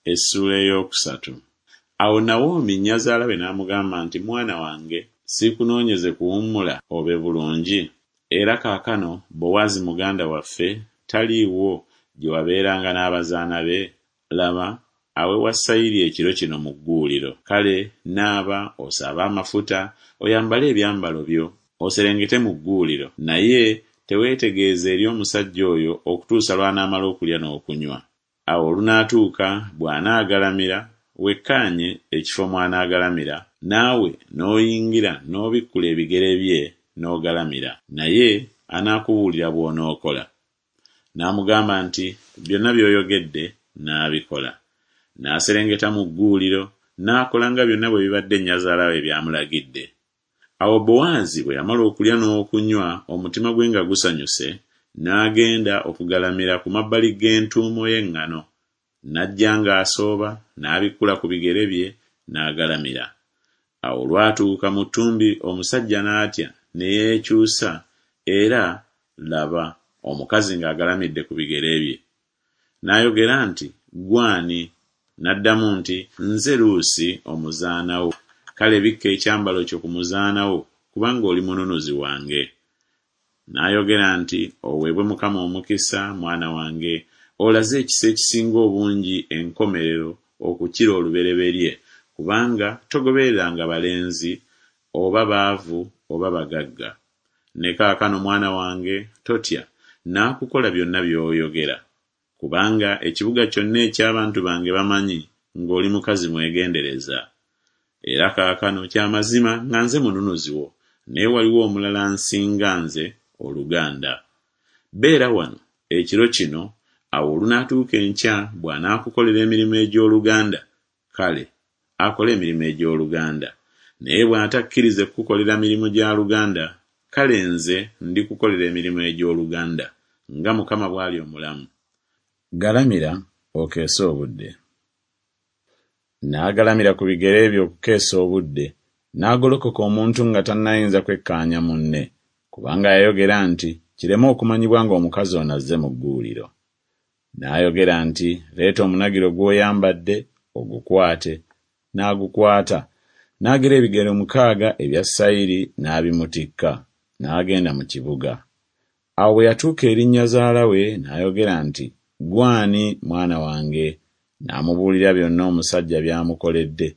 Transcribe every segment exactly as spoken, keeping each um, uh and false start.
Essuula ey'okusatu. Awo Nawomi nnyazaala we n'amugamba nti, Mwana wange, siikunoonyeze kuwummula obe bulungi? Era kaakano Bowaazi muganda waffe taliiwo gye wabeeranga n'abazaana be? Laba, awewa sayiri ekiro kino mu gguuliro. Kale naaba, osaabe amafuta, oyambale ebyambalo byo, oserengete mu gguuliro, naye teweetegeeza eri omusajja oyo okutuusa lw'anaamala okulya n'okunywa. Awo olunaatuuka bw'anaagalamira, wekkaanye ekifo mw'anaagalamira, naawe n'oyingira n'obikkula ebigere bye n'ogalamira, naye anaakubuulira bw'onookola. N'amugamba nti, Byonna by'oyogedde nnaabikola. N'aserengeta mu gguuliro, n'akola nga byonna bwe bibadde nnyazaala we by'amulagidde. Awo Bowaazi bwe yamala okulya n'okunywa omutima gwe nga gusanyuse, n'agenda okugalamira ku mabbali g'entuumo y'eŋŋano. N'ajja ng'asooba, n'abikkula ku bigere bye, n'agalamira. Awo olwatuuka mu ttumbi omusajja n'atya, ne yeekyusa, era, laba, omukazi ng'agalamidde ku bigere bye. N'ayogera nti, Ggwe ani? N'addamu nti, Nze Luusi omuzaana wo, kale bikka ekyambalo kyo ku muzaana wo, kubanga oli mununuzi wange. N'ayogera nti, Oweebwe Mukama omukisa, mwana wange, olaze ekisa ekisinga obungi enkomerero okukira olubereberye, kubanga togobereranga balenzi, oba baavu oba bagagga. Ne kaakano, mwana wange, totya, naakukola byonna by'oyogera, kubanga ekibuga kyonna eky'abantu bange bamanyi ng'oli mukazi mwegendereza. Era kaakano kya mazima nga nze mununuzi wo, naye waliwo omulala ansinga nze oluganda. Beera wano ekiro kino, awo olunaatuuka enkya bw'anaakukolera emirimu egy'oluganda, kale akole emirimu egy'oluganda, naye bw'atakkirize kukukolera mirimu gya luganda, kale nze ndikukolera emirimu egy'oluganda, nga Mukama bw'ali omulamu. Galamira okeese obudde. N'agalamira ku bigere bye okukeesa obudde, n'agolokoka omuntu nga tannayinza kwekkaanya munne, kubanga yayogera nti Kireme okumanyibwa ng'omukazi ono azze mu gguuliro. N'ayogera nti Leeta omunagiro gw'oyambadde, ogukwate. N'agukwata, n'agera ebigero mukaaga ebya sayiri n'abimutikka, n'agenda mu kibuga. Awo bwe yatuuka eri nnyazaala we n'ayogera nti Ggwe ani, mwana wange? N'amubuulira byonna omusajja by'amukoledde.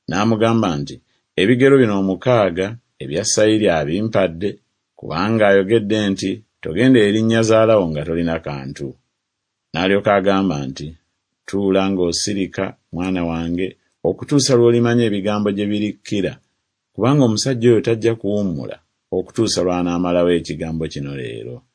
N'amugamba nti Ebigero bino omukaaga ebya sayiri abimpadde, kubanga ayogedde nti Togenda eri nnyazaala wo nga tolina kantu. N'alyoka agamba nti Tuula ng'osirika, mwana wange, okutuusa lw'olimanya ebigambo gye birikkira, kubanga omusajja oyo tajja kuwummula okutuusa lw'anaamalawo ekigambo kino leero.